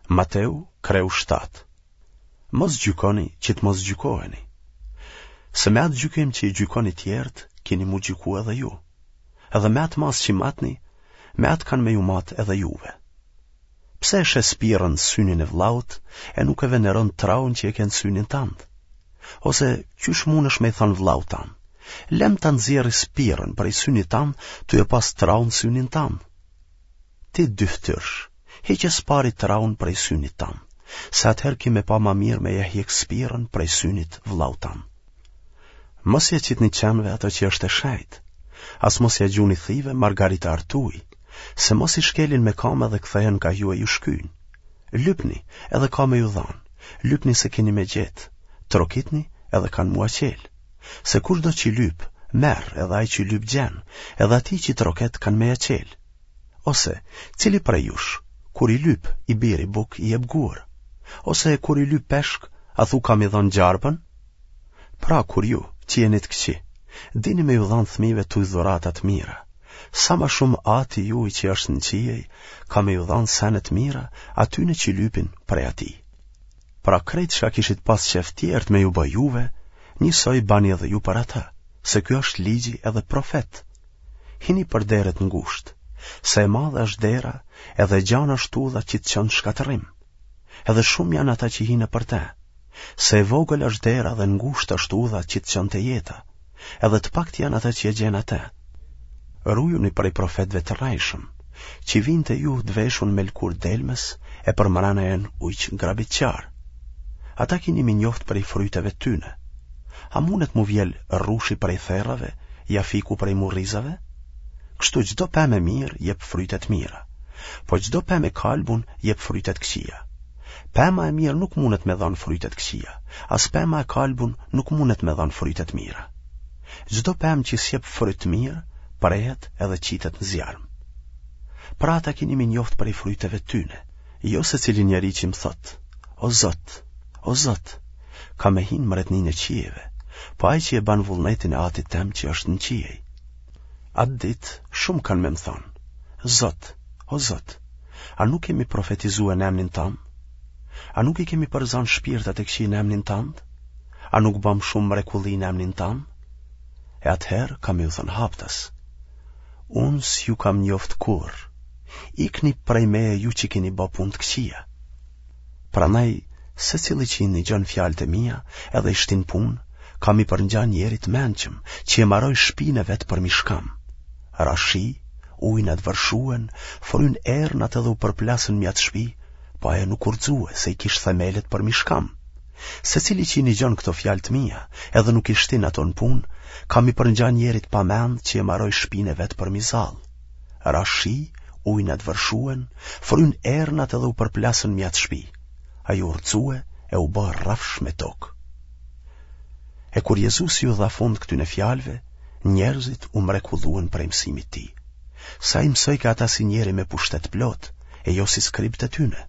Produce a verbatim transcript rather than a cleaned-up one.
Mateu, kreu shtatë. Mos gjykoni që të mos gjykoheni. Se me atë gjykim që i gjykoni tjerët, kini m'u gjyku edhe ju. Edhe me atë masë që matni, me atë kanë me ju matë edhe juve. Pse e sheh spirën në synin e vllaut e nuk e veneron traun që e ke në synin tand? Ose qysh mundesh me i thanë vllaut tand? Lem ta nxjerri spirën prej synit tand, tu e pas traun në synin tand. Ti dyftyrsh, hiqe së pari traun prej synit tand, se atëherë ki me pa ma mirë me ia hjek spirën prej synit vllaut tand. Mos ia qitni qenve ato që është e shejtë, as mos ia gjuni thive margaritarët tuj, se mos i shkelin me kamë edhe kthehen ka ju e ju shkyjnë. Lypni, edhe ka me ju dhanë, lypni se keni me gjetë, trokitni edhe kanë m'ua çelë. Se kushdo që lyp, merr, edhe ai që lyp gjen, edhe atij që troket kanë me ia çelë. Ose, cili prej jush, kur i lyp i biri bukë i jep gur? Ose, kur i lyp peshk, a thu ka m'i dhanë gjarpën? Pra, kur ju, që jeni të këqij, dini me ju dhanë fëmijëve tuj dhurata të mira, sa ma shumë Ati juj që është në qiej, ka me ju dhanë sene të mira atyne që lypin prej atij. Pra krejt çka kishit pas qef tjerët me ju bë juve, njësoj bani edhe ju për ata, se ky është ligji edhe profetët. Hini për dere të ngushtë, se e madhe është dera edhe e gjanë është udha që të çon në shkatërrim. Edhe shumë janë ata që hinë për te, se e vogël është dera dhe ngushtë është udha që të çon te jeta, edhe të paktë janë ata që e gjenë atë. Rujuni prej profetëve të rrejshëm, që vijnë te ju të veshun me lëkurë delmes e përmrena janë ujq grabitqarë. Ata kini m'i njoftë prej fryteve tyne. A mundet m'u vjel rrushi prej therrave, ja fiku prej murrizave? Kështu çdo pemë e mirë jep fryte të mira, po çdo pemë e kalbun jep fryte të këqija. Pema e mirë nuk mundet me dhanë fryte të këqija, as pema e kalbun nuk mundet me dhanë fryte të mira. Çdo pemë që s'jep fryt të mirë, prehet edhe qitet në zjarm. Pra ata kini m'i njoftë prej fryteve tyne, jo secili njeri që më thotë, o Zot, o Zot, ka me hi në mbretninë e qiejve, po ai që e ban vullnetin e Atit tem që është në qiej. Atë ditë shumë kanë me më thonë, Zot, o Zot, a nuk kemi profetizue në emnin tand? A nuk i kemi përzanë shpirtat e këqij në emnin tand? A nuk bamë shumë mrekulli në emnin tand? E atëherë kam me ju thënë haptas, unë s'ju kam njoftë kurrë, ikni prej meje ju që keni ba punë të këqija. Prandaj, secili që i nigjon fjalët e mia edhe i shtin n'punë, ka m'i përngja njerit të mençëm, që e maroi shpinë e vet përmi shkam. Ra shi, ujnat vërshuen, frynë ernat edhe u përplasën mi atë shpi, po ajo nuk u rrxue se i kish themelet përmi shkam. Secili që i nigjon këto fjalë të mia, edhe nuk i shtin ato në punë, ka m'i përngja njerit pamend që e maroi shpinë e vet përmi zall. Ra shi, ujnat vërshuen, frynë ernat edhe u përplasën mi atë shpi. Ajo u rrxue e u bë rrafsh me tokë. E kur Jezusi ju dha fund këtyne fjalëve, njerëzit u mrekulluen prej mësimit tij. Se ai mësojke ata si njeri me pushtet të plotë, e jo si skribët e tyne.